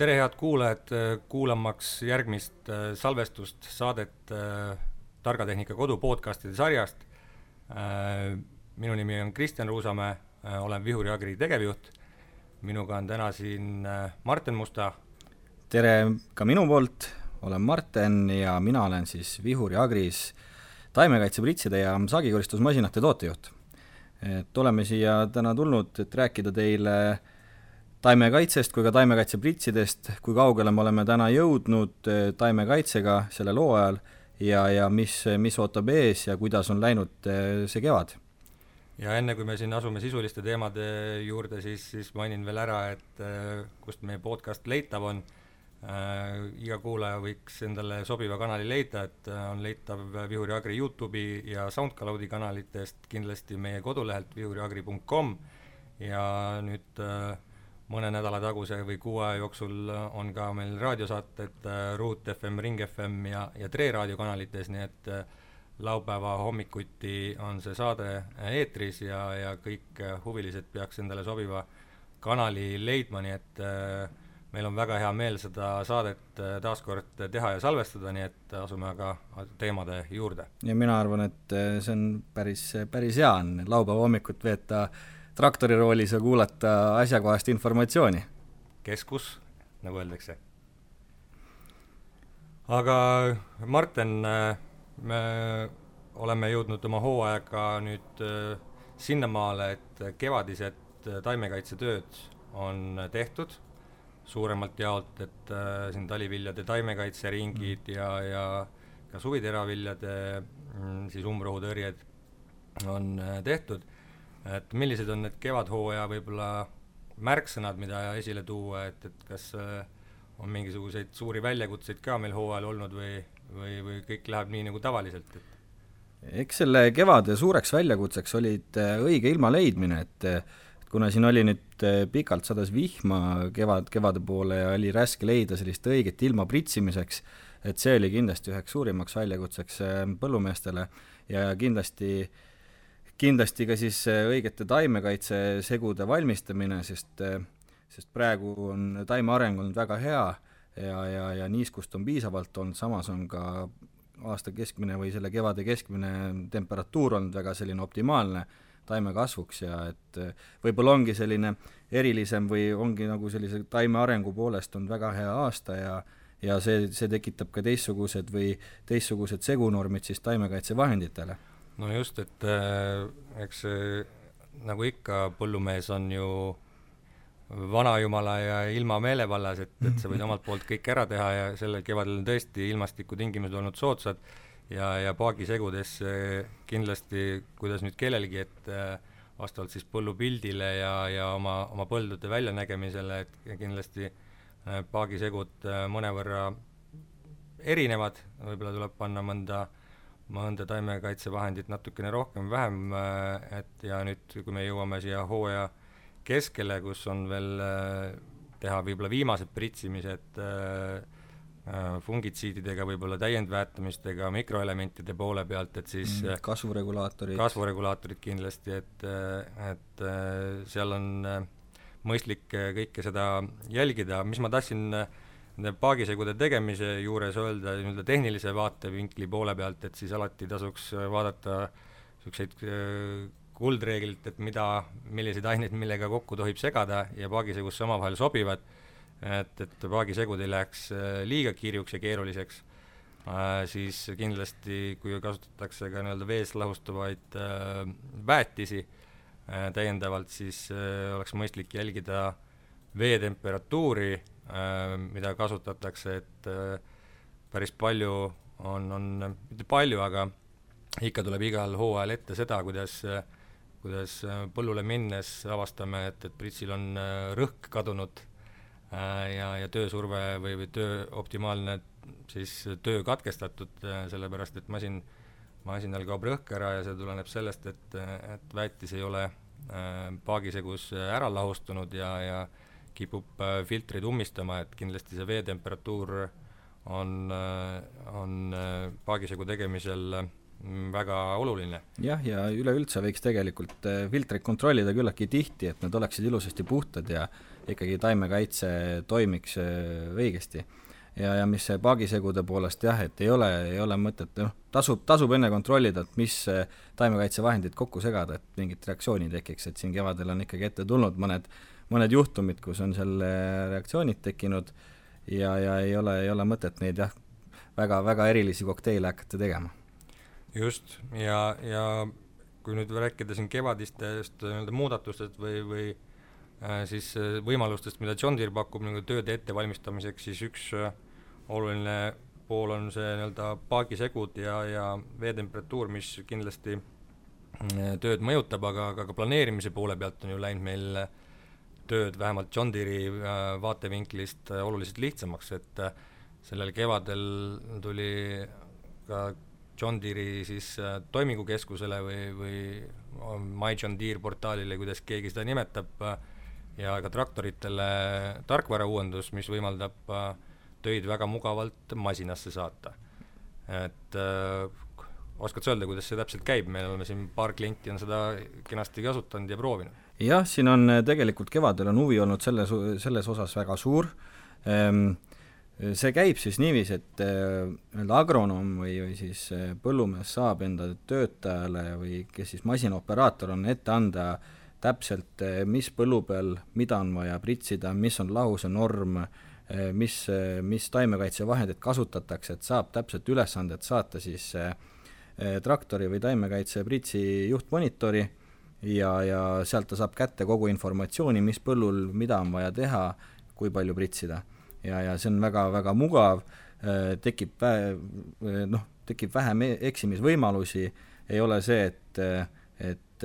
Tere head kuulajad, kuulamaks järgmist salvestust saadet Targatehnika kodu podcastide sarjast. Minu nimi on Kristjan Ruusamäe, olen Vihuri Agri tegevjuht. Minuga on täna siin Marten Musta. Tere ka minu poolt, olen Marten ja mina olen siis Vihuri Agris taimekaitsepritside ja saagikoristusmasinate tootejuht. Oleme siia täna tulnud, et rääkida teile taimekaitsest kui ka taimekaitsepritsidest, kui kaugele me oleme täna jõudnud taimekaitsega sellel hooajal ja mis ootab ees ja kuidas on läinud see kevad. Ja enne kui me siin asume sisuliste teemade juurde, siis mainin veel ära, et kust meie podcast leitav on. Iga kuulaja võiks endale sobiva kanali leida, et on leitav Vihuri Agri YouTube'i ja SoundCloudi kanalitest, kindlasti meie kodulehelt vihuriagri.com ja nüüd mõne nädala taguse või kuu aja jooksul on ka meil raadiosaated Root FM, Ring FM ja Tre raadiokanalites, nii et laupäeva hommikuti on see saade eetris ja kõik huvilised peaks endale sobiva kanali leidma, nii et meil on väga hea meel seda saadet taaskord teha ja salvestada, nii et asume aga teemade juurde. Ja mina arvan, et see on päris hea on laupäeva hommikut veeta traktoriroolis ja kuulata asjakohast informatsiooni. Keskus, nagu öeldakse. Aga Marten, me oleme jõudnud oma hooajaga nüüd sinnamaale, et kevadised taimekaitsetööd on tehtud suuremalt jaolt, et siin taliviljade taimekaitseringid ja ka suviteraviljade siis umbrohutõrjed on tehtud. Et millised on need kevadhooaja võib-olla märksõnad, mida esile tuua, et kas on mingisuguseid suuri väljakutseid ka meil hooajal olnud või kõik läheb nii nagu tavaliselt? Eks selle kevade suureks väljakutseks olid õige ilma leidmine, et kuna siin oli nüüd pikalt sadas vihma kevade poole ja oli raske leida sellist õiget ilma pritsimiseks, et see oli kindlasti üheks suurimaks väljakutseks põllumeestele ja kindlasti ka siis õigete taimekaitsesegude valmistamine, sest praegu on taime areng olnud väga hea ja niiskust on piisavalt olnud, samas on ka aasta keskmine või selle kevade keskmine temperatuur olnud väga selline optimaalne taime kasvuks ja et võib-olla ongi selline erilisem või ongi nagu sellise taime arengu poolest on väga hea aasta ja see tekitab ka teistsugused segunormid siis taimekaitsevahenditele. No just, et eks nagu ikka põllumees on ju vanajumala ja ilma meelevallas, et sa võid omalt poolt kõik ära teha ja sellel kevadel on tõesti ilmastikutingimused olnud soodsad ja paagisegudes kindlasti, kuidas nüüd kellelgi, et vastavalt siis põllupildile ja oma põldude väljanägemisele, et kindlasti paagisegud mõnevõrra erinevad, võib-olla tuleb panna mõnda taimekaitsevahendit natukene rohkem, vähem, et ja nüüd, kui me jõuame siia hooaja keskele, kus on veel teha võib-olla viimased pritsimised fungitsiididega, võib-olla täiendväetamistega, mikroelementide poole pealt, et siis kasvuregulaatorid kindlasti, et seal on mõistlik kõike seda jälgida. Mis ma tahtsin paagisegude tegemise juures öelda tehnilise vaatevinkli poole pealt, et siis alati tasuks vaadata selliseid kuldreeglit, et milliseid aineid millega kokku tohib segada ja paagisegusse omavahel sobivad, et paagisegud ei läheks liiga kirjuks ja keeruliseks. Siis kindlasti, kui kasutatakse ka vees lahustuvaid väetisi täiendavalt, siis oleks mõistlik jälgida veetemperatuuri, mida kasutatakse, et päris palju on mitte palju, aga ikka tuleb igal hooajal ette seda, kuidas põllule minnes avastame, et pritsil on rõhk kadunud ja töösurve või töö optimaalne siis töö katkestatud, sellepärast et masinal kaob rõhk ära ja see tuleneb sellest, et väetis ei ole paagisegus ära lahustunud ja kipub filtrid ummistama, et kindlasti see veetemperatuur on paagisegu tegemisel väga oluline. Jah, ja üleüldse võiks tegelikult filtreid kontrollida küllaltki tihti, et nad oleksid ilusasti puhtad ja ikkagi taimekaitse toimiks õigesti. Ja mis paagisegude poolest jah, et ei ole mõtet, tasub enne kontrollida, et mis taimekaitsevahendid kokku segada, et mingit reaktsiooni tekiks, et siin kevadel on ikkagi ette tulnud mõned juhtumid, kus on seal reaktsioonid tekkinud ja ei ole mõtet neid väga erilisi kokteile hakata tegema. Just, ja kui nüüd rääkida siin kevadistest muudatustest või siis võimalustest, mida John Deere pakub tööde ettevalmistamiseks, siis üks oluline pool on see paagisegud ja veetemperatuur, mis kindlasti tööd mõjutab, aga ka planeerimise poole pealt on ju läinud meil tööd vähemalt John Deere'i vaatevinklist oluliselt lihtsamaks, et sellel kevadel tuli ka John Deere'i siis toimingukeskusele või My John Deere portaalile, kuidas keegi seda nimetab, ja ka traktoritele tarkvarauuendus, mis võimaldab töid väga mugavalt masinasse saata. Et oskad sa öelda, kuidas see täpselt käib? Me oleme siin paar klienti on seda kenasti kasutanud ja proovinud. Jah, siin on tegelikult kevadel on huvi olnud selles osas väga suur. See käib siis niiviisi, et agronoom või siis põllumees saab enda töötajale või kes siis masinaoperaator on ette anda täpselt, mis põllu peal, mida on vaja pritsida, mis on lahuse norm, mis taimekaitsevahendid kasutatakse, et saab täpselt ülesanded saata siis traktori või taimekaitse pritsi juhtmonitori ja sealt ta saab kätte kogu informatsiooni, mis põllul, mida on vaja teha, kui palju pritsida. Ja see on väga mugav, tekib vähem eksimisvõimalusi, ei ole see, et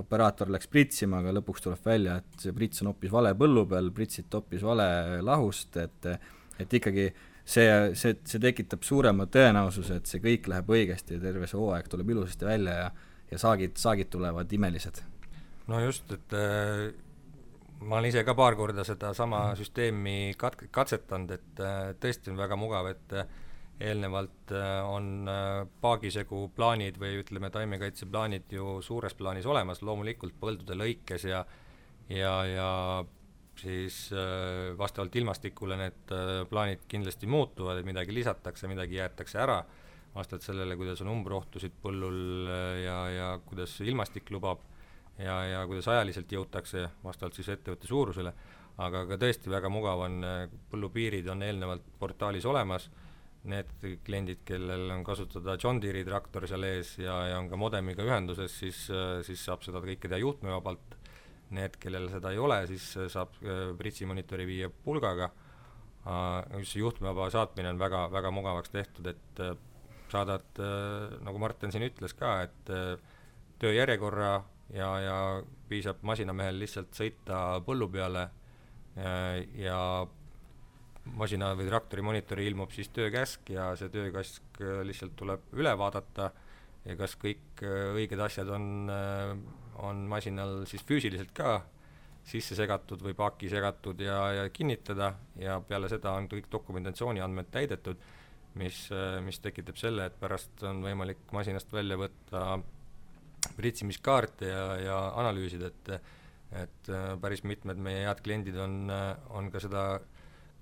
operaator läks pritsima, aga lõpuks tuleb välja, et see prits on hoopis vale põllu peal, pritsit hoopis vale lahust, et ikkagi see tekitab suurema tõenäosuse, et see kõik läheb õigesti ja terve see hooaeg tuleb ilusasti välja ja saagid tulevad imelised. No just, et ma olen ise ka paar korda seda sama süsteemi katsetanud, et tõesti on väga mugav, et eelnevalt on paagisegu plaanid või ütleme taimekaitseplaanid ju suures plaanis olemas, loomulikult põldude lõikes ja siis vastavalt ilmastikule need plaanid kindlasti muutuvad, et midagi lisatakse, midagi jäetakse ära, vastavalt sellele, kuidas on umbrohtusid põllul ja kuidas ilmastik lubab ja kuidas ajaliselt jõutakse vastavalt siis ettevõtte suurusele, aga ka tõesti väga mugav on, põllupiirid on eelnevalt portaalis olemas, need kliendid, kellel on kasutada John Deere'i traktor seal ees ja on ka modemiga ühenduses, siis saab seda kõike teha juhtmevabalt, need, kellel seda ei ole, siis saab pritsimonitori viia pulgaga, just see juhtmevaba saatmine on väga mugavaks tehtud, et saadad, nagu Martin siin ütles ka, et tööjärjekorra ja piisab masinamehel lihtsalt sõita põllu peale ja masina või traktori monitori ilmub siis töökäsk ja see töökäsk lihtsalt tuleb üle vaadata ja kas kõik õiged asjad on masinal siis füüsiliselt ka sisse segatud või paaki segatud ja kinnitada ja peale seda on kõik dokumentatsiooni andmed täidetud, mis tekitab selle, et pärast on võimalik masinast välja võtta pritsimiskaarte ja analüüsid, et päris mitmed meie head kliendid on ka seda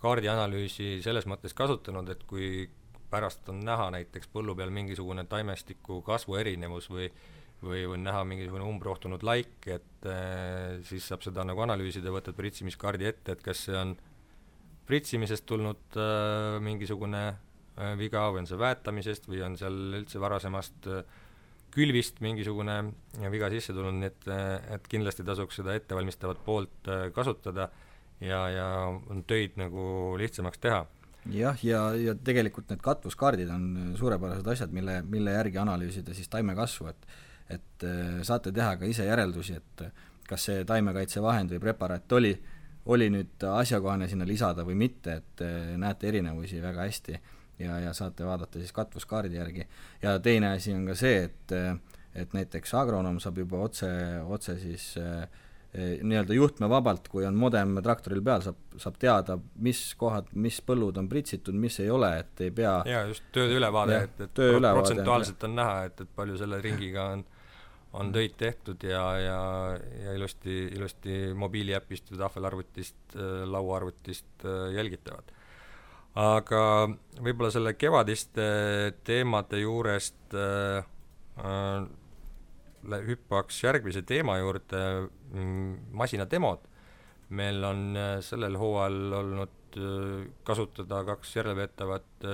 kaardianalüüsi selles mõttes kasutanud, et kui pärast on näha näiteks põllu peal mingisugune taimestiku kasvu erinevus või on näha mingisugune umbrohtunud laik, et siis saab seda nagu analüüsida, võtad pritsimiskaardi ette, et kas see on pritsimisest tulnud mingisugune viga või on see väetamisest või on seal üldse varasemast külvist mingisugune viga sisse tulnud, nii et kindlasti tasuks seda ettevalmistavat poolt kasutada ja on töid nagu lihtsamaks teha. Jah, ja tegelikult need katvuskaardid on suurepärased asjad, mille järgi analüüsida siis taimekasvu, et saate teha ka ise järeldusi, et kas see taimekaitsevahend või preparaat oli nüüd asjakohane sinna lisada või mitte, et näete erinevusi väga hästi ja saate vaadata siis katvuskaardi järgi. Ja teine asi on ka see, et näiteks agronoom saab juba otse siis nii-öelda juhtmevabalt, kui on modem traktoril peal, saab teada, mis kohad, mis põllud on pritsitud, mis ei ole, et ei pea jaa, just tööde ülevaade, et protsentuaalselt on näha, et palju selle ringiga on töid tehtud ja ilusti mobiiliäpist või tahvelarvutist, lauaarvutist jälgitavad. Aga võib-olla selle kevadiste teemade juurest hüppaks järgmise teema juurde, masinatemod. Meil on sellel hooajal olnud kasutada 2 järelveetavat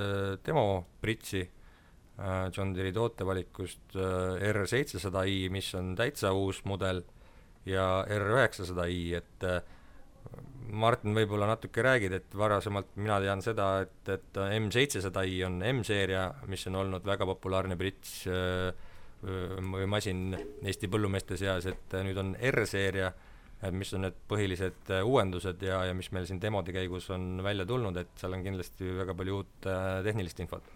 demopritsi John Deere tootevalikust R700i, mis on täitsa uus mudel, ja R900i, et Martin võib-olla natuke räägid, et varasemalt mina tean seda, et M700i on M-seeria, mis on olnud väga populaarne prits või masin Eesti põllumeeste seas, et nüüd on R-seeria, mis on need põhilised uuendused ja mis meil siin demode käigus on välja tulnud, et seal on kindlasti väga palju uut tehnilist infot.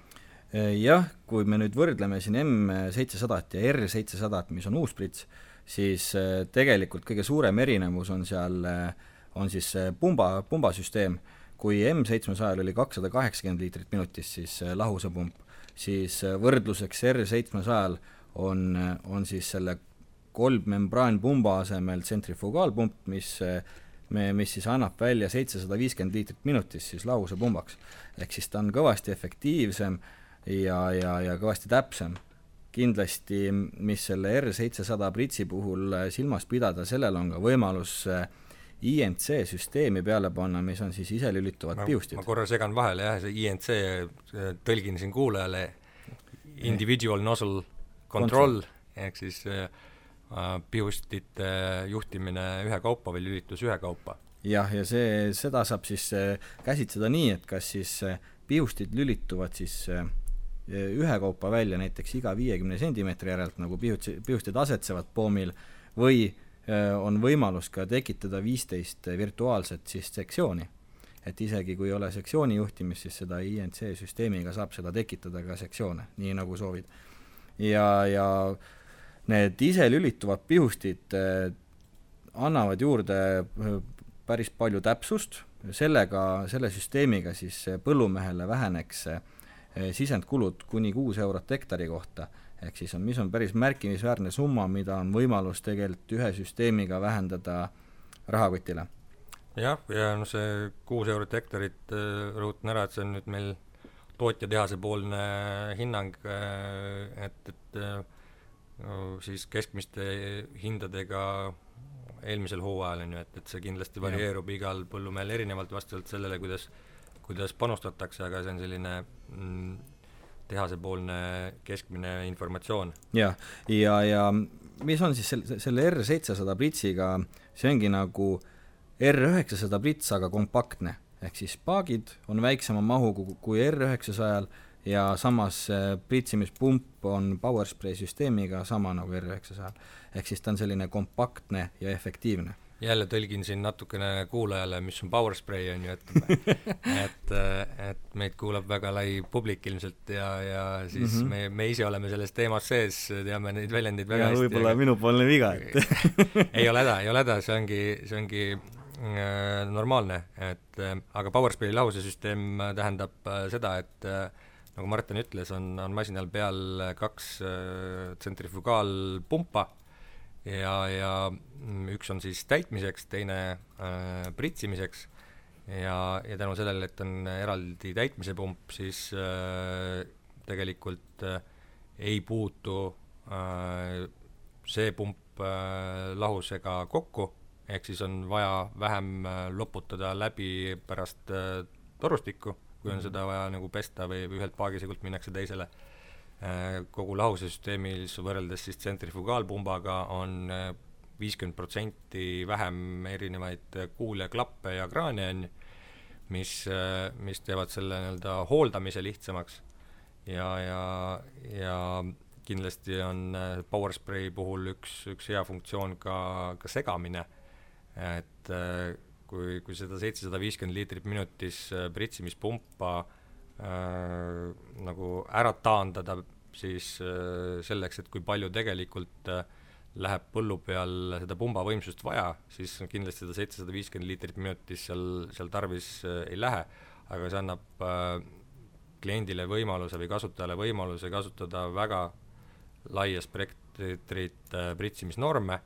Jah, kui me nüüd võrdleme siin M700 ja R700, mis on uus prits, siis tegelikult kõige suurem erinevus on seal on siis pumbasüsteem. Kui M700 oli 280 liitrit minutis, siis lahuse pump, siis võrdluseks R700 on siis selle kolbmembraanpumba asemel tsentrifugaalpump, mis siis annab välja 750 liitrit minutis siis lahuse pumbaks. Ehk siis ta on kõvasti efektiivsem ja kõvasti täpsem. Kindlasti, mis selle R700 pritsi puhul silmas pidada, sellel on ka võimalus INC süsteemi peale panna, mis on siis iselülituvad pihustid. Ma korra segan vahele, jah, see INC tõlgin siin kuulajale, individual nozzle control, ehk siis pihustite juhtimine ühekaupa või lülitus ühekaupa. Jah, ja seda saab siis käsitleda nii, et kas siis pihustid lülituvad siis ühekaupa välja näiteks iga 50 sentimeetri järelt, nagu pihustid asetsevad poomil, või on võimalus ka tekitada 15 virtuaalset siis sektsiooni. Et isegi kui ei ole sektsiooni juhtimist, siis seda INC süsteemiga saab seda tekitada ka sektsioone, nii nagu soovid. Ja need ise lülituvad pihustid annavad juurde päris palju täpsust, selle süsteemiga siis põllumehele väheneks sisendkulud kuni 6 eurot hektari kohta, ehk siis mis on päris märkimisväärne summa, mida on võimalus tegelikult ühe süsteemiga vähendada rahakotile. Jah, ja see 6 eurot hektarit rõhutan ära, et see on nüüd meil tootjatehase poolne hinnang, et siis keskmiste hindadega eelmisel hooajal on ju, et see kindlasti varieerub igal põllumehel erinevalt vastavalt sellele, kuidas panustatakse, aga see on selline tehasepoolne keskmine informatsioon. Ja mis on siis selle R700 pritsiga, see ongi nagu R900 prits, aga kompaktne. Ehk siis paagid on väiksema mahu kui R900 ja samas pritsimispump on PowerSpray süsteemiga sama nagu R900. Ehk siis ta on selline kompaktne ja efektiivne. Jälle tõlgin siin natukene kuulajale, mis on PowerSpray on ju, et meid kuulab väga lai publik ilmselt ja siis me ise oleme selles teemas sees, teame neid väljendeid väga hästi. Ja võib-olla minu poolne viga, et ei ole häda, see ongi normaalne, et aga PowerSpray lahusesüsteem tähendab seda, et nagu Martin ütles, on masinal peal 2 tsentrifugaalpumpa ja üks on siis täitmiseks, teine pritsimiseks ja tänu sellele, et on eraldi täitmise pump, siis tegelikult ei puutu see pump lahusega kokku, ehk siis on vaja vähem loputada läbi pärast torustikku, kui on seda vaja nagu pesta või ühelt paagisegult minnakse teisele. Kogu lahusesüsteemis võrreldes siis tsentrifugaalpumbaga on 50% vähem erinevaid kuule, klappe ja kraane, mis teevad selle nii-öelda hooldamise lihtsamaks ja kindlasti on PowerSpray puhul üks hea funktsioon ka segamine, et kui seda 750 liitrit minutis pritsimispumpa nagu ära taandada, siis selleks, et kui palju tegelikult läheb põllu peal seda pumba võimsust vaja, siis kindlasti seda 750 liitrit minutis seal tarvis ei lähe, aga see annab kliendile võimaluse või kasutajale võimaluse kasutada väga laia spektrit pritsimisnorme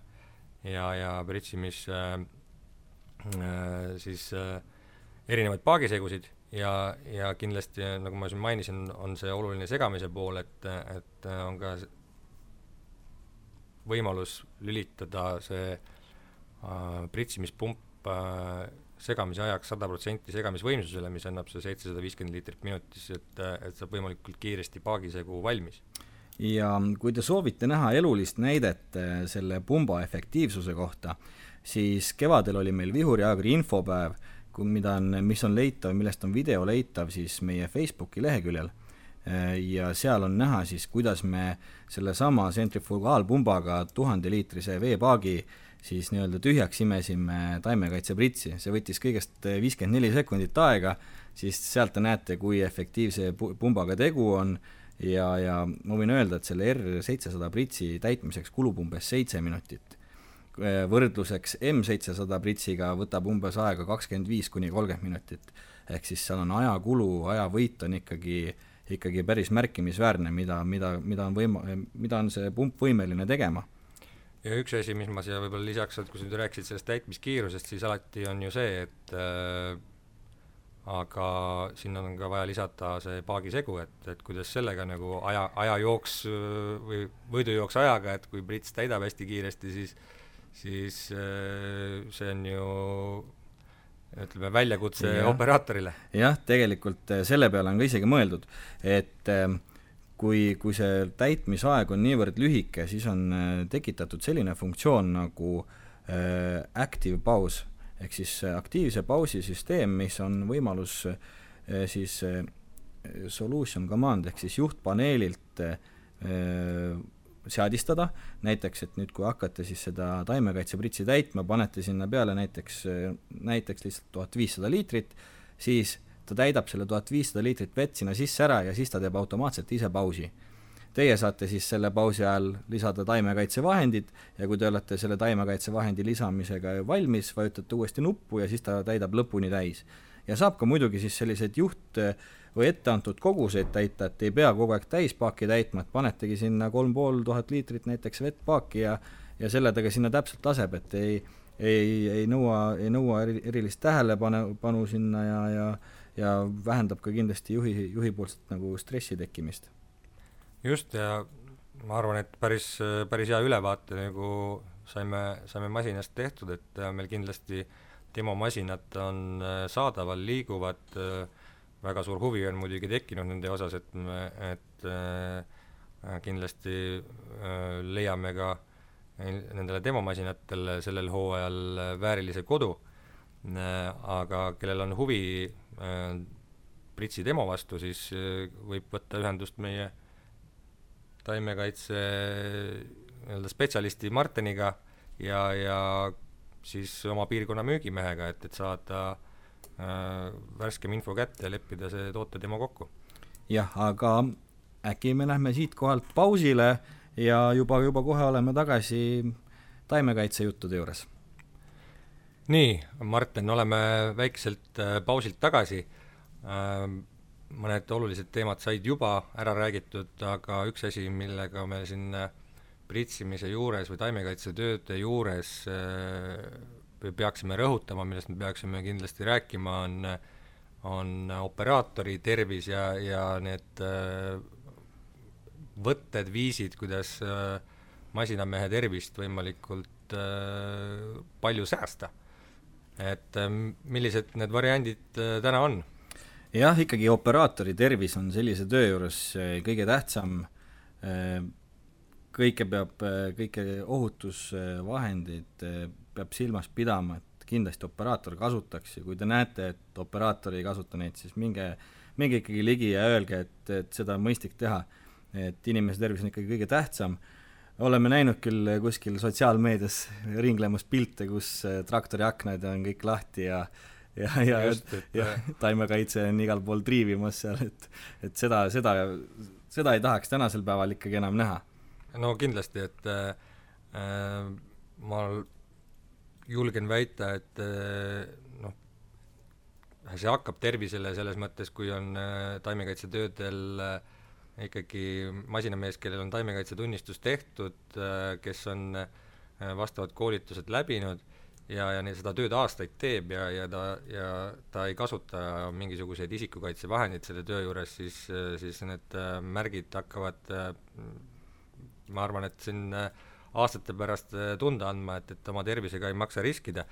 ja pritsimis siis erinevaid paagisegusid ja kindlasti, nagu ma siin mainisin, on see oluline segamise pool, et on ka võimalus lülitada see pritsimispump segamise ajaks 100% segamisvõimsusele, mis annab see 750 liitrit minutis, et saab võimalikult kiiresti paagisegu valmis. Ja kui te soovite näha elulist näidet selle pumba efektiivsuse kohta, siis kevadel oli meil Vihuri Agri infopäev, mis on leitav, millest on video leitav siis meie Facebooki leheküljel. Ja seal on näha siis, kuidas me selle sama sentrifugaalpumbaga 1000-liitrise veepaagi siis nii-öelda tühjaks imesime taimekaitsepritsi. See võttis kõigest 54 sekundit aega, siis sealt te näete, kui efektiivse pumbaga tegu on ja ma võin öelda, et selle R700 pritsi täitmiseks kulub umbes 7 minutit. Võrdluseks M700 pritsiga võtab umbes aega 25-30 minutit. Ehk siis seal on ajakulu, ajavõit on ikkagi päris märkimisväärne, mida on see pump võimeline tegema. Ja üks asi, mis ma siia võib-olla lisaks, et kui sa rääkisid sellest täitmiskiirusest, siis alati on ju see, et aga sinna on ka vaja lisada see paagisegu, et kuidas sellega nagu ajajooks või võidujooks ajaga, et kui prits täidab hästi kiiresti, siis see on ju ütleme väljakutse operaatorile. Jah, tegelikult selle peale on ka isegi mõeldud, et kui see täitmisaeg on niivõrd lühike, siis on tekitatud selline funktsioon nagu active pause, ehk siis aktiivse pausi süsteem, mis on võimalus siis solution command, ehk siis juhtpaneelilt seadistada, näiteks, et nüüd kui hakkate siis seda taimekaitsepritsi täitma, panete sinna peale näiteks lihtsalt 1500 liitrit, siis ta täidab selle 1500 liitrit vett sinna sisse ära ja siis ta teeb automaatselt ise pausi. Teie saate siis selle pausi ajal lisada taimekaitsevahendid ja kui te olete selle taimekaitsevahendi lisamisega valmis, vajutate uuesti nuppu ja siis ta täidab lõpuni täis. Ja saab ka muidugi siis sellised juht- või etteantud koguseid täita, et ei pea kogu aeg täispaaki täitma, et panetegi sinna 3500 liitrit näiteks vettpaaki ja selledega sinna täpselt laseb, et ei nõua erilist tähelepanu sinna ja vähendab ka kindlasti juhi poolselt nagu stressi tekkimist. Just, ja ma arvan, et päris hea ülevaate nagu saime masinast tehtud, et meil kindlasti demomasinad on saadaval, liiguvad, väga suur huvi on muidugi tekkinud nende osas, et kindlasti leiame ka nendele demomasinatele sellel hooajal väärilise kodu, aga kellel on huvi pritsi demo vastu, siis võib võtta ühendust meie taimekaitse spetsialisti Marteniga ja siis oma piirkonna müügimehega, et saada värskem info kätte ja leppida see toote demo kokku. Jah, aga äkki me lähme siit kohalt pausile ja juba kohe oleme tagasi taimekaitsejuttude juures. Nii, Martin, oleme väikeselt pausilt tagasi. Mõned olulised teemad said juba ära räägitud, aga üks asi, millega me siin pritsimise juures või taimekaitsetööde juures peaksime rõhutama, millest me peaksime kindlasti rääkima, on operaatori tervis ja need võtted, viisid, kuidas masinamehe tervist võimalikult palju säästa. Et millised need variandid täna on? Jah, ikkagi operaatori tervis on sellise töö juures kõige tähtsam. Kõike ohutusvahendid peab silmas pidama, et kindlasti operaator kasutaks ja kui te näete, et operaator ei kasuta neid, siis minge ikkagi ligi ja öelge, et seda on mõistlik teha, et inimese tervis on ikkagi kõige tähtsam. Oleme näinud küll kuskil sotsiaalmeedias ringlemas pilte, kus traktori aknad on kõik lahti ja taimekaitse on igal pool triivimas seal, et seda ei tahaks tänasel päeval ikkagi enam näha. No kindlasti, et ma julgen väita, et see hakkab tervisele selles mõttes, kui on taimekaitsetöödel ikkagi masinamees, kellel on taimekaitsetunnistus tehtud, kes on vastavad koolitused läbinud ja seda tööd aastaid teeb ja ta ei kasuta mingisuguseid isikukaitsevahendeid selle töö juures, siis need märgid hakkavad, ma arvan, et siin aastate pärast tunda andma, et oma tervisega ei maksa riskida.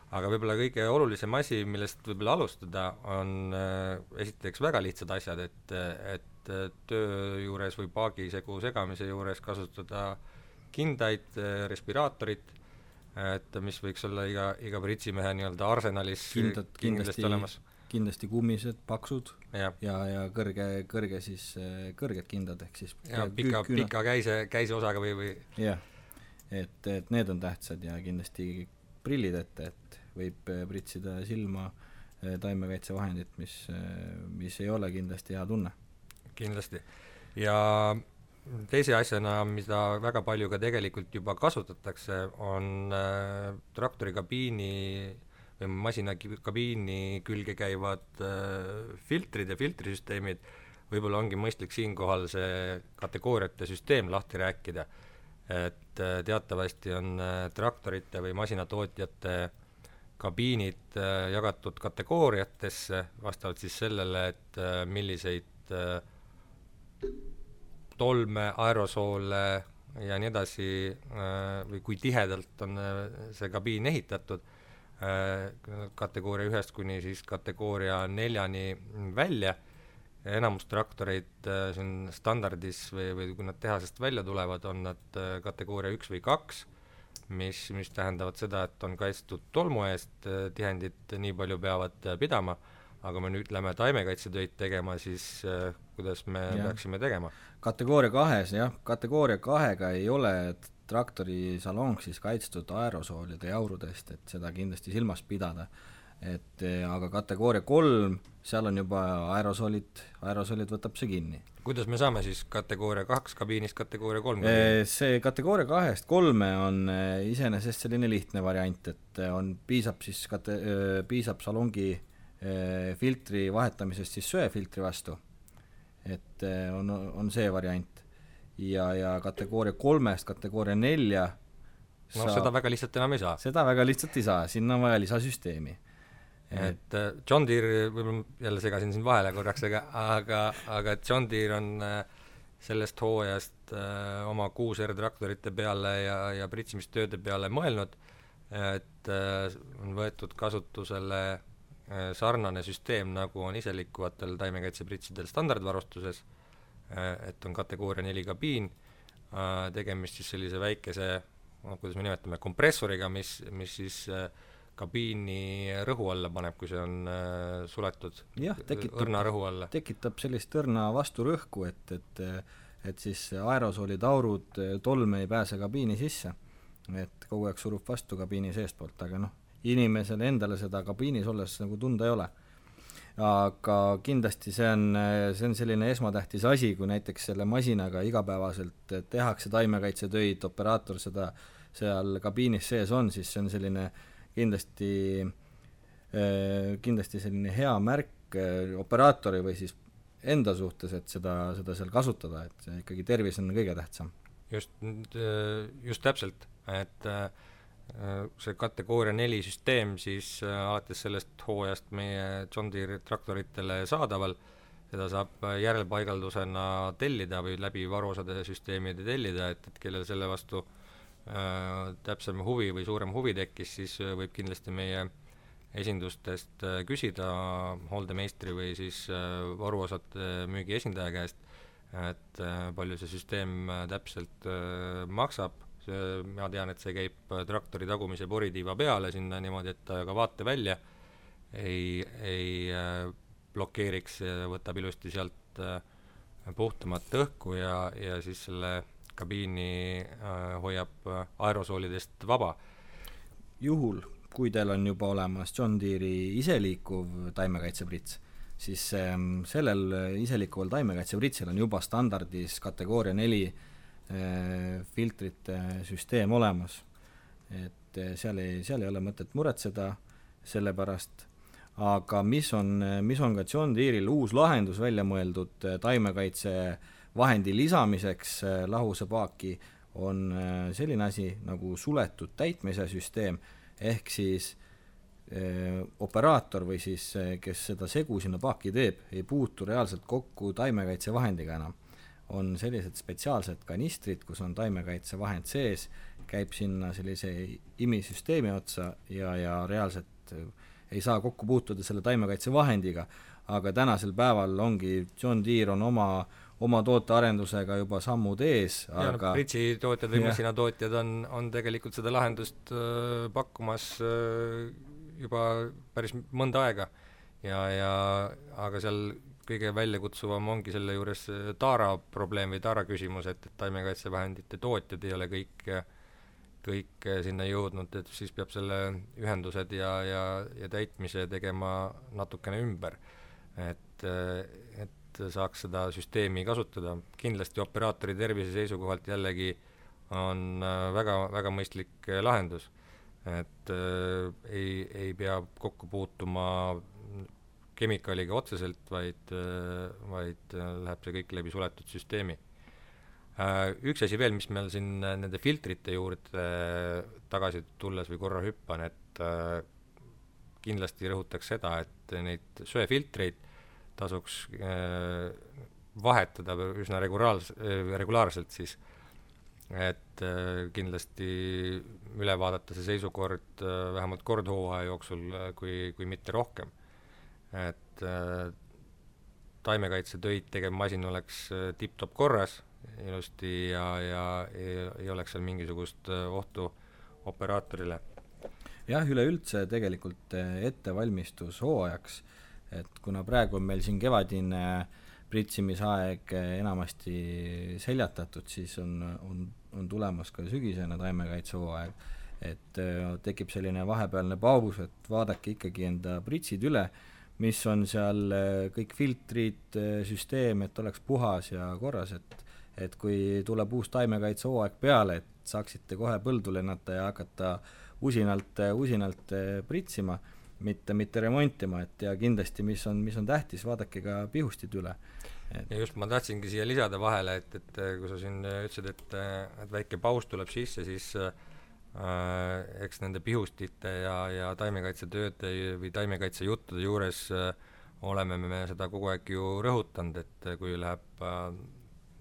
Aga võib-olla kõige olulisem asi, millest võib-olla alustada, on esiteks väga lihtsad asjad, et töö juures või paagisegu segamise juures kasutada kindaid, respiraatorit, et mis võiks olla iga pritsimehe nii-öelda arsenalis kindlasti olemas. Kindlasti kummised, paksud ja kõrged kindad ehk siis pika käise osaga või jah, et need on tähtsad ja kindlasti prillid ette, et võib pritsida silma taimekaitsevahendit, mis ei ole kindlasti hea tunne. Kindlasti. Ja teise asjana, mida väga palju ka tegelikult juba kasutatakse, on traktori kabiini või masina kabiini külge käivad filtrid ja filtrisüsteemid. Võib-olla ongi mõistlik siinkohal see kategooriate süsteem lahti rääkida, et teatavasti on traktorite või masinatootjate kabiinid jagatud kategooriatesse vastavalt siis sellele, et milliseid tolme, aerosoole ja nii edasi või kui tihedalt on see kabiin ehitatud kategooria 1 kuni siis kategooria 4 välja. Enamus traktoreid siin standardis või kui nad tehasest välja tulevad, on nad kategooria 1 või 2, mis tähendavad seda, et on kaitstud tolmu eest, tihendid nii palju peavad pidama, aga me nüüd lähme taimekaitsetöid tegema, siis kuidas me peaksime tegema? Kategooria 2, jah, kategooria 2-ga ei ole traktori salong siis kaitstud aerosoolide ja aurudest, et seda kindlasti silmas pidada. Aga kategooria 3, seal on juba aerosoolid võtab see kinni. Kuidas me saame siis kategooria 2 kabiinist kategooria 3? See kategooria 2-st 3 on iseenesest selline lihtne variant, et piisab salongi filtri vahetamisest siis söefiltri vastu, et on see variant. Ja kategooria 3-st kategooria 4 seda väga lihtsalt enam ei saa. Seda väga lihtsalt ei saa, sinna on vaja lisasüsteemi. Et John Deere, võib-olla jälle segasin siin vahele korraks, aga John Deere on sellest hooajast oma 6R traktorite peale ja pritsimistööde peale mõelnud, et on võetud kasutusele sarnane süsteem, nagu on iselikuvatel taimekaitsepritsidel standardvarustuses, et on kategooria 4 kabiin, tegemist siis sellise väikese, kuidas me nimetame, kompressoriga, mis siis kabiini rõhu alla paneb, kui see on suletud õrna rõhu alla. Tekitab sellist õrna vasturõhku, et siis aerosoolid, aurud, tolm ei pääse kabiini sisse, et kogu aeg surub vastu kabiini seestpoolt, aga inimesele endale seda kabiinis olles nagu tunda ei ole. Aga kindlasti see on selline esmatähtis asi, kui näiteks selle masinaga igapäevaselt tehakse taimekaitsetöid, operaator seda seal kabiinis sees on, siis see on selline kindlasti selline hea märk operaatori või siis enda suhtes, et seda seal kasutada, et see ikkagi tervis on kõige tähtsam. Just täpselt, et see kategooria 4 süsteem siis alates sellest hooajast meie John Deere traktoritele saadaval, seda saab järelpaigaldusena tellida või läbi varuosade süsteemide tellida, et kellel selle vastu täpsem huvi või suurem huvi tekkis, siis võib kindlasti meie esindustest küsida hooldemeistri või siis varuosad müügi esindaja käest, et palju see süsteem täpselt maksab. Ma tean, et see käib traktori tagumise poritiiva peale sinna niimoodi, et ta ka vaate välja ei blokeeriks, võtab ilusti sealt puhtamat õhku ja siis selle kabiini hoiab aerosoolidest vaba. Juhul, kui teil on juba olemas John Deere'i iseliikuv taimekaitseprits, siis sellel iseliikuval taimekaitsepritsil on juba standardis kategooria 4 filtrite süsteem olemas, et seal ei ole mõtet muretseda selle pärast. Aga mis on ka John Deere'il uus lahendus välja mõeldud taimekaitsevahendi lisamiseks lahuse paaki, on selline asi nagu suletud täitmise süsteem, ehk siis operaator või siis kes seda segu sinna paaki teeb, ei puutu reaalselt kokku taimekaitsevahendiga enam. On sellised spetsiaalsed kanistrid, kus on taimekaitsevahend sees, käib sinna sellise imisüsteemi otsa ja reaalselt ei saa kokku puutuda selle taimekaitsevahendiga, aga tänasel päeval ongi John Deere on oma tootearendusega juba sammud ees, aga Bridži tootjad või masinatootjad on tegelikult seda lahendust pakkumas juba päris mõnda aega aga seal kõige väljakutsuvam ongi selle juures taara probleem või taara küsimus, et taimekaitsevahendite tootjad ei ole kõik sinna jõudnud, et siis peab selle ühendused ja täitmise tegema natukene ümber, et saaks seda süsteemi kasutada. Kindlasti operaatori tervise seisukohalt jällegi on väga, väga mõistlik lahendus, et ei pea kokku puutuma kemikaaliga otseselt, vaid läheb see kõik läbi suletud süsteemi. Üks asi veel, mis meil siin nende filtrite juurde tagasi tulles või korra hüppan, et kindlasti rõhutaks seda, et neid söefiltreid tasuks vahetada üsna regulaarselt siis, et kindlasti üle vaadata see seisukord vähemalt kord hooaja jooksul, kui mitte rohkem. Et taimekaitsetöid tegev masin oleks tipp-top korras ilusti ja ei oleks seal mingisugust ohtu operaatorile. Jah, üleüldse tegelikult ettevalmistus hooajaks, et kuna praegu on meil siin kevadine pritsimisaeg enamasti seljatatud, siis on tulemas ka sügisene taimekaitsehooaeg, et tekib selline vahepealne paus, et vaadake ikkagi enda pritsid üle, mis on seal kõik filtrid, süsteem, et oleks puhas ja korras, et kui tuleb uus taimekaitsehooaeg peale, et saaksite kohe põldu lennata ja hakata usinalt pritsima, mitte remontima, et ja kindlasti, mis on tähtis, vaadake ka pihustid üle. Ja just ma tahtsingi siia lisada vahele, et kui sa siin ütlesid, et väike paus tuleb sisse, siis eks nende pihustite ja taimekaitsetööde või taimekaitsejuttude juures oleme me seda kogu aeg ju rõhutanud, et kui läheb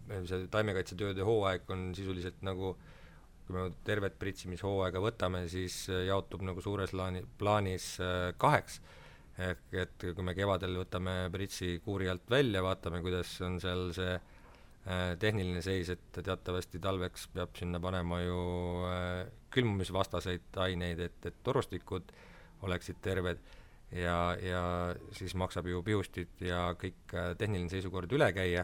see taimekaitsetööde hooaeg on sisuliselt nagu, kui me tervet pritsimishooaega võtame, siis jaotub nagu suures plaanis 2, et kui me kevadel võtame pritsi kuuri alt välja, vaatame, kuidas on seal see tehniline seis, et teatavasti talveks peab sinna panema ju külmumisvastaseid aineid, et torustikud oleksid terved ja siis maksab ju pihustit ja kõik tehniline seisukord üle käia.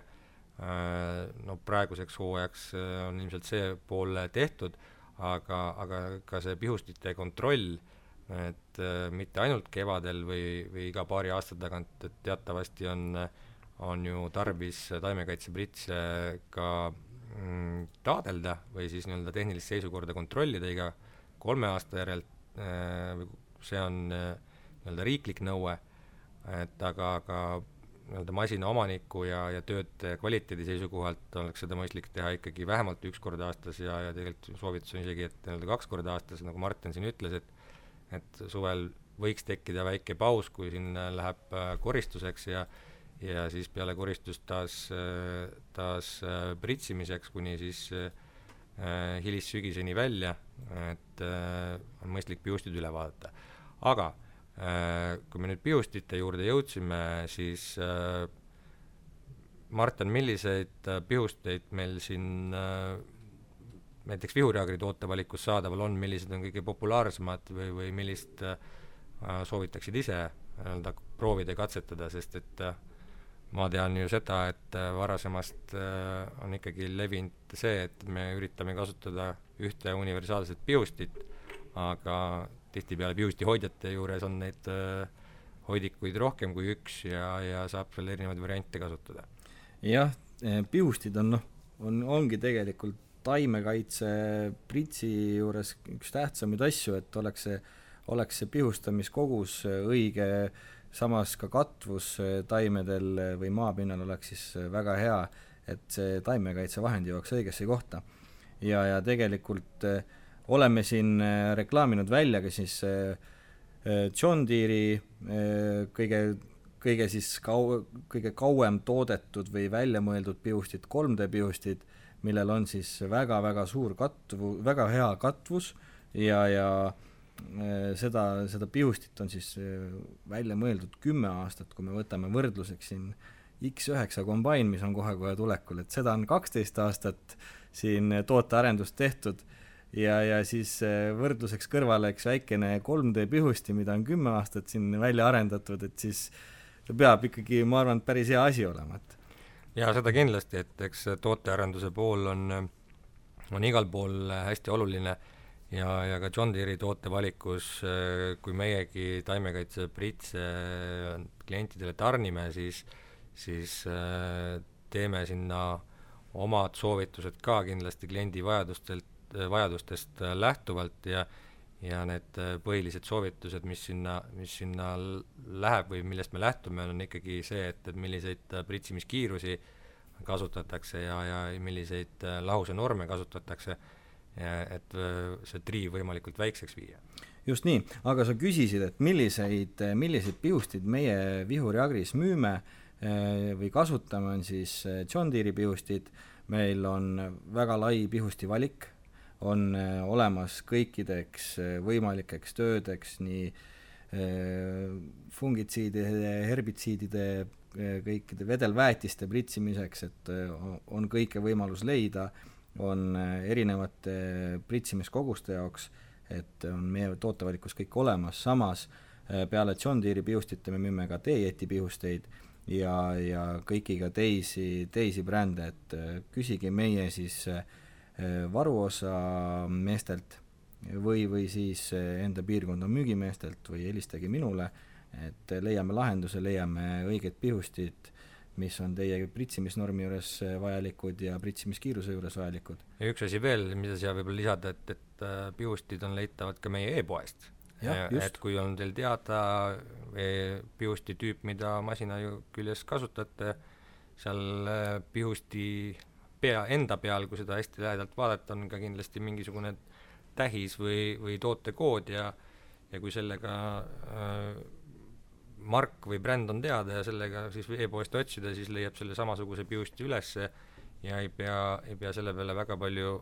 No praeguseks hooajaks on ilmselt see pool tehtud, aga ka see pihustite kontroll, et mitte ainult kevadel või iga paari aasta tagant, et teatavasti on ju tarvis taimekaitsepritse ka taadelda või siis nii-öelda tehnilist seisukorda kontrollida iga 3 aasta järel, see on nii-öelda riiklik nõue, et aga nii-öelda masina omaniku ja tööde kvaliteedi seisukohalt oleks seda mõistlik teha ikkagi vähemalt 1 kord aastas ja tegelikult soovitus on isegi, et nii-öelda 2 korda aastas, nagu Martin siin ütles, et suvel võiks tekkida väike paus, kui siin läheb koristuseks ja siis peale koristust taas pritsimiseks kuni siis hilissügiseni välja, et on mõistlik pihustid üle vaadata. Aga kui me nüüd pihustite juurde jõudsime, siis Martin, milliseid pihusteid meil siin näiteks vihuriagri tootevalikus saadaval on, millised on kõige populaarsemad või millist soovitaksid ise proovida ja katsetada, sest et ma tean ju seda, et varasemast on ikkagi levinud see, et me üritame kasutada ühte universaalset pihustit, aga tihtipeale pihustihoidjate juures on neid hoidikuid rohkem kui üks ja saab seal erinevaid variante kasutada. Jah, pihustid ongi tegelikult taimekaitse pritsi juures üks tähtsamaid asju, et oleks see pihustamiskogus õige, samas ka katvus taimedel või maapinnal oleks siis väga hea, et see taimekaitsevahendi jooks õigesse kohta. Ja tegelikult oleme siin reklaaminud välja ka siis John Deere'i kõige kauem toodetud või väljamõeldud pihustid, 3D pihustid, millel on siis väga suur väga hea katvus ja seda pihustit on siis välja mõeldud 10 aastat, kui me võtame võrdluseks siin X9 Combine, mis on kohe tulekul, et seda on 12 aastat siin tootearendust tehtud ja siis võrdluseks kõrvale üks väikene 3D pihusti, mida on 10 aastat siin välja arendatud, et siis ta peab ikkagi, ma arvan, päris hea asi olema. Ja seda kindlasti, et eks tootearenduse pool on igal pool hästi oluline ja ka John Deere'i tootevalikus, kui meiegi taimekaitse pritse klientidele tarnime, siis teeme sinna omad soovitused ka kindlasti kliendi vajadustest lähtuvalt ja need põhilised soovitused, mis sinna läheb või millest me lähtume, on ikkagi see, et milliseid pritsimiskiirusi kasutatakse ja milliseid lahuse norme kasutatakse, et see triiv võimalikult väikseks viia. Just nii, aga sa küsisid, et milliseid pihustid meie Vihuri Agris müüme või kasutame, on siis John Deere'i pihustid, meil on väga lai pihusti valik, on olemas kõikideks võimalikeks töödeks, nii fungitsiidide, herbitsiidide, kõikide vedelväetiste pritsimiseks, et on kõike võimalus leida, on erinevate pritsimiskoguste jaoks, et on meie tootevalikus kõik olemas, samas peale John Deere'i pihustite me müüme ka T-Jeti pihusteid ja kõikiga teisi brände, et küsigi meie siis varuosa meestelt või siis enda piirkonda müügimeestelt või helistage minule, et leiame lahenduse, leiame õiged pihustid, mis on teie pritsimisnormi juures vajalikud ja pritsimiskiiruse juures vajalikud. Ja üks asi veel, mida siia võib-olla lisada, et pihustid on leitavad ka meie e-poest. Et kui on teil teada pihusti tüüp, mida masina küljes kasutate, seal pihusti enda peal, kui seda hästi lähedalt vaadata, on ka kindlasti mingisugune tähis või tootekood ja kui sellega mark või bränd on teada ja sellega siis e-poest otsida, siis leiab selle samasuguse pihusti ülesse ja ei pea selle peale väga palju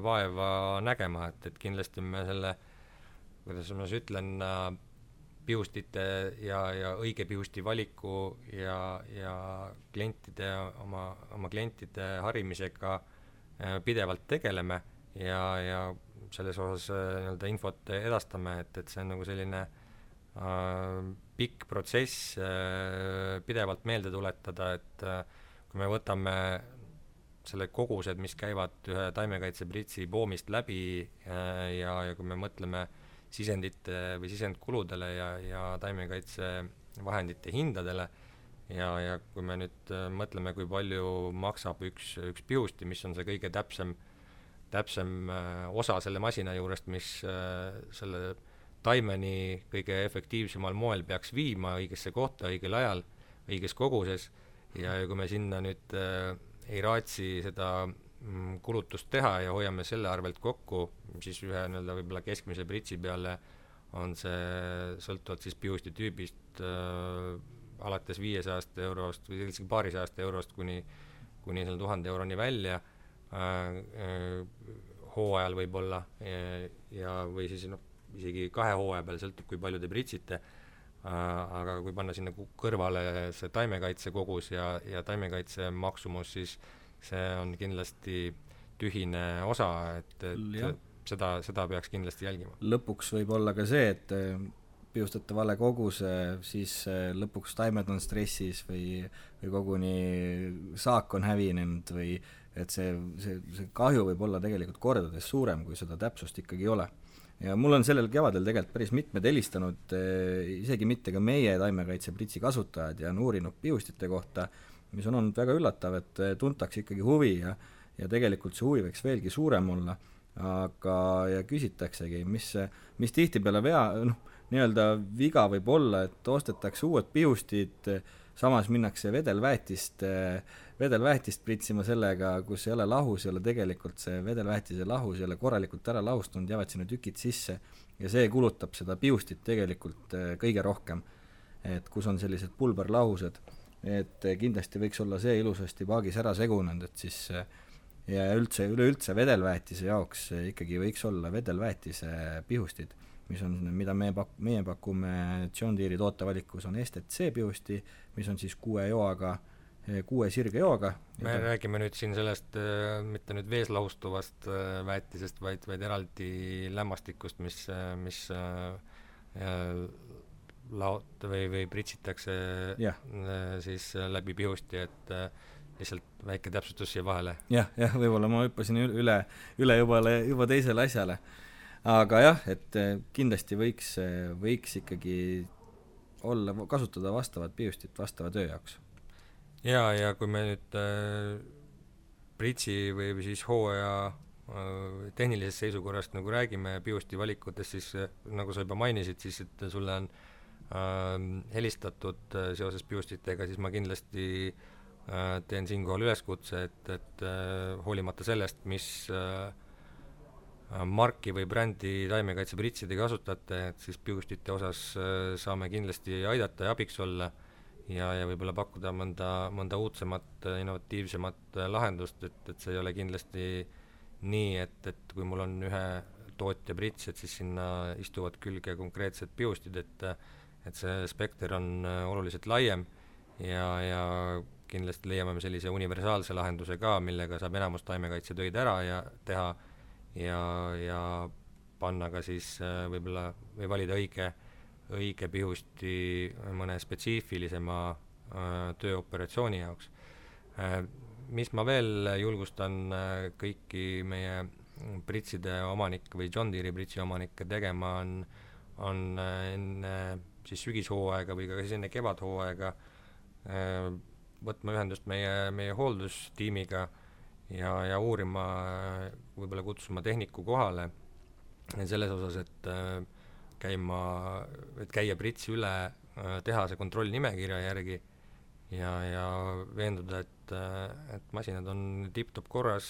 vaeva nägema, et kindlasti me selle, kuidas ma siis ütlen, pihustite ja õige pihusti valiku ja klientide, oma klientide harimisega pidevalt tegeleme ja selles osas nii-öelda infot edastame, et see on nagu selline pikk protsess pidevalt meelde tuletada, et kui me võtame selle kogused, mis käivad ühe taimekaitsepritsi poomist läbi ja kui me mõtleme sisendite või sisendkuludele ja taimekaitsevahendite hindadele ja kui me nüüd mõtleme, kui palju maksab üks pihusti, mis on see kõige täpsem osa selle masina juurest, mis selle taimeni kõige efektiivsemal moel peaks viima õigesse kohta, õigel ajal, õiges koguses ja kui me sinna nüüd ei raatsi seda kulutust teha ja hoiame selle arvelt kokku, siis ühe nii-öelda võib-olla keskmise pritsi peale on see sõltuvalt siis pihusti tüübist alates 500 eurost või isegi paarisaja eurost kuni selle 1000 euroni välja hooajal võib-olla ja või siis isegi 2 hooaja peal, sõltub kui palju te pritsite, aga kui panna sinna kõrvale see taimekaitse kogus ja taimekaitse maksumus, siis see on kindlasti tühine osa, et seda peaks kindlasti jälgima. Lõpuks võib olla ka see, et pihustate vale koguse, siis lõpuks taimed on stressis või koguni saak on hävinenud või et see kahju võib olla tegelikult kordades suurem, kui seda täpsust ikkagi ei ole. Ja mul on sellel kevadel tegelikult päris mitmed helistanud, isegi mitte ka meie taimekaitsepritsi kasutajad ja on uurinud pihustite kohta, mis on olnud väga üllatav, et tuntakse ikkagi huvi ja tegelikult see huvi võiks veelgi suurem olla, aga ja küsitaksegi, mis tihtipeale nii-öelda viga võib olla, et ostetakse uued pihustid, samas minnakse vedelväetist pritsima sellega, kus ei ole lahus, ei ole tegelikult see vedelväetise lahus, ei ole korralikult ära lahustunud, jäävad sinna tükid sisse ja see kulutab seda pihustit tegelikult kõige rohkem, et kus on sellised pulberlahused, et kindlasti võiks olla see ilusasti paagis ära segunenud, et siis ja üleüldse vedelväetise jaoks ikkagi võiks olla vedelväetise pihustid, mida meie pakume John Deere'i tootevalikus on STC pihusti, mis on siis 6 sirgejoaga. Me räägime nüüd siin sellest mitte nüüd vees lahustuvast väetisest, vaid eraldi lämmastikust, mis või pritsitakse siis läbi pihusti, et lihtsalt väike täpsustus siia vahele. Jah, võib-olla ma hüppasin üle juba teisele asjale. Aga jah, et kindlasti võiks ikkagi kasutada vastavat pihustit vastava töö jaoks. Ja kui me nüüd pritsi või siis hooaja tehnilisest seisukorrast nagu räägime pihusti valikutest, siis nagu sa juba mainisid, siis et sulle on helistatud seoses pihustitega, siis ma kindlasti teen siinkohal üleskutse, et hoolimata sellest, mis marki või brändi taimekaitsepritside kasutate, et siis pihustite osas saame kindlasti aidata ja abiks olla ja võib-olla pakkuda mõnda uudsemat, innovatiivsemat lahendust, et see ei ole kindlasti nii, et kui mul on ühe tootja prits, et siis sinna istuvad külge konkreetsed pihustid, et see spekter on oluliselt laiem ja kindlasti leiame sellise universaalse lahenduse ka, millega saab enamus taimekaitsetöid ära ja teha ja panna ka siis võib-olla või valida õige pihusti mõne spetsiifilisema tööoperatsiooni jaoks. Mis ma veel julgustan kõiki meie pritside omanikke või John Deere'i pritsi omanikke tegema, on enne siis sügishooaega või ka siis enne kevadhooaega võtma ühendust meie hooldustiimiga ja uurima, võib-olla kutsuma tehniku kohale selles osas, et käia pritsi üle tehase kontrollnimekirja järgi ja veenduda, et masinad on tipp-topp korras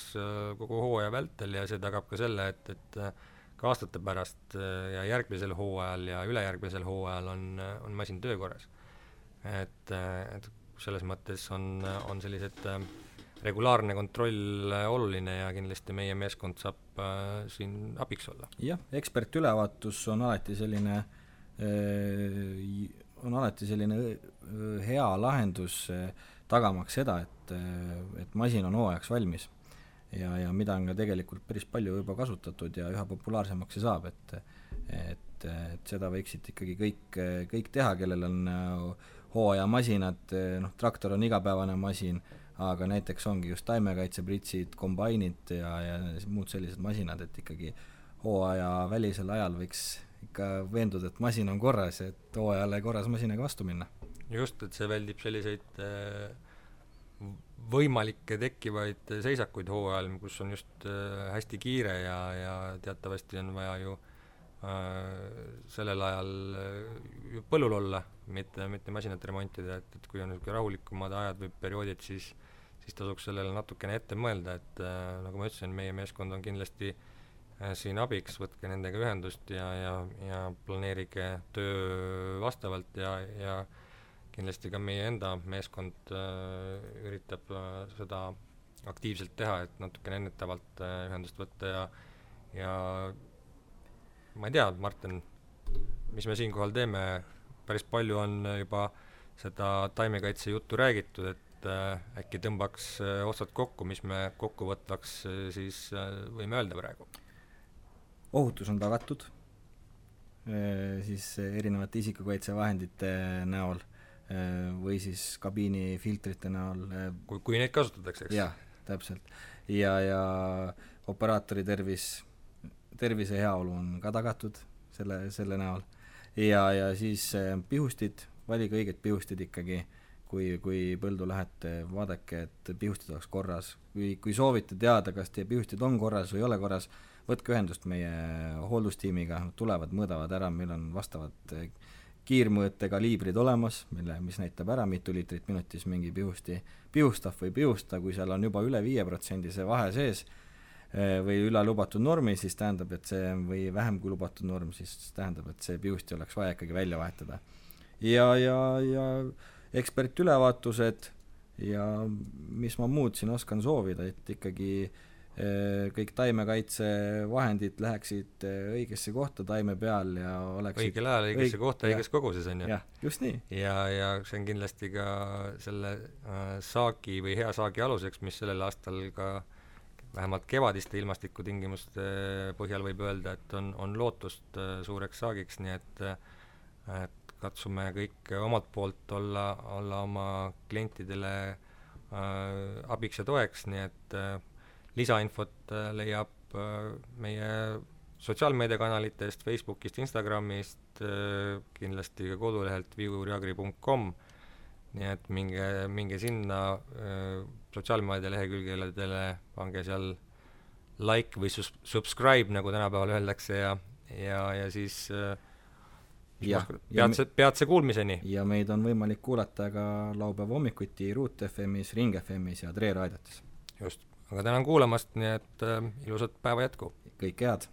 kogu hooaja vältel ja see tagab ka selle, et ka aastate pärast ja järgmisel hooajal ja ülejärgmisel hooajal on masin töökorras. Et selles mõttes on sellised regulaarne kontroll oluline ja kindlasti meie meeskond saab siin abiks olla. Jah, ekspertülevaatus on alati selline hea lahendus tagamaks seda, et masin on hooajaks valmis ja mida on ka tegelikult päris palju juba kasutatud ja üha populaarsemaks see saab, et seda võiksid ikkagi kõik teha, kellel on hooajamasinad, traktor on igapäevane masin, aga näiteks ongi just taimekaitsepritsid, kombainid ja muud sellised masinad, et ikkagi hooaja välisel ajal võiks ikka veenduda, et masin on korras, et hooajale korras masinaga vastu minna. Just, et see väldib selliseid võimalikke tekkivaid seisakuid hooajal, kus on just hästi kiire ja teatavasti on vaja ju sellel ajal põllul olla, mitte masinat remontida, et kui on rahulikumad ajad või perioodid, siis tasuks sellele natukene ette mõelda, et nagu ma ütlesin, meie meeskond on kindlasti siin abiks, võtke nendega ühendust ja planeerige töö vastavalt ja kindlasti ka meie enda meeskond üritab seda aktiivselt teha, et natukene ennetavalt ühendust võtta ja ma ei tea, Martin, mis me siinkohal teeme, päris palju on juba seda taimekaitse juttu räägitud, et äkki tõmbaks otsad kokku, mis me kokkuvõtvaks siis võime öelda praegu? Ohutus on tagatud siis erinevate isikukaitsevahendite näol või siis kabiinifiltrite näol. Kui neid kasutatakse, eks? Jah, täpselt. Ja operaatori tervise heaolu on ka tagatud selle näol. Ja siis pihustid, valige õiged pihustid ikkagi, kui põldu lähete, vaadake, et pihustid oleks korras. Kui soovite teada, kas teie pihustid on korras või ei ole korras, võtke ühendust meie hooldustiimiga, tulevad, mõõdavad ära, meil on vastavad kiirmõõtega liibrid olemas, mis näitab ära, mitu liitrit minutis mingi pihustab või pihusta, kui seal on juba üle 5% see vahe sees või üle lubatud normi, siis tähendab, et see, või vähem kui lubatud norm, siis tähendab, et see pihusti oleks vaja ikkagi välja vahetada. Ja ekspertülevaatused ja mis ma muud siin oskan soovida, et ikkagi kõik taimekaitsevahendid läheksid õigesse kohta taime peal ja oleksid õigel ajal õigesse kohta õiges koguses on ju. Jah, just nii. Ja see on kindlasti ka selle saagi või hea saagi aluseks, mis sellel aastal ka vähemalt kevadiste ilmastikutingimuste põhjal võib öelda, et on lootust suureks saagiks, nii et katsume kõik omalt poolt olla oma klientidele abiks ja toeks, nii et lisainfot leiab meie sotsiaalmeediakanalitest, Facebookist, Instagramist, kindlasti ka kodulehelt viuriagri.com, nii et minge sinna sotsiaalmeedia lehekülgedele, pange seal like või subscribe, nagu tänapäeval öeldakse, ja siis peatse kuulmiseni. Ja meid on võimalik kuulata ka laupäeva hommikuti Ruut FM-is, Ring FM-is ja Tre raadiotes. Just. Aga tänan kuulamast, nii et ilusat päeva jätku. Kõik head!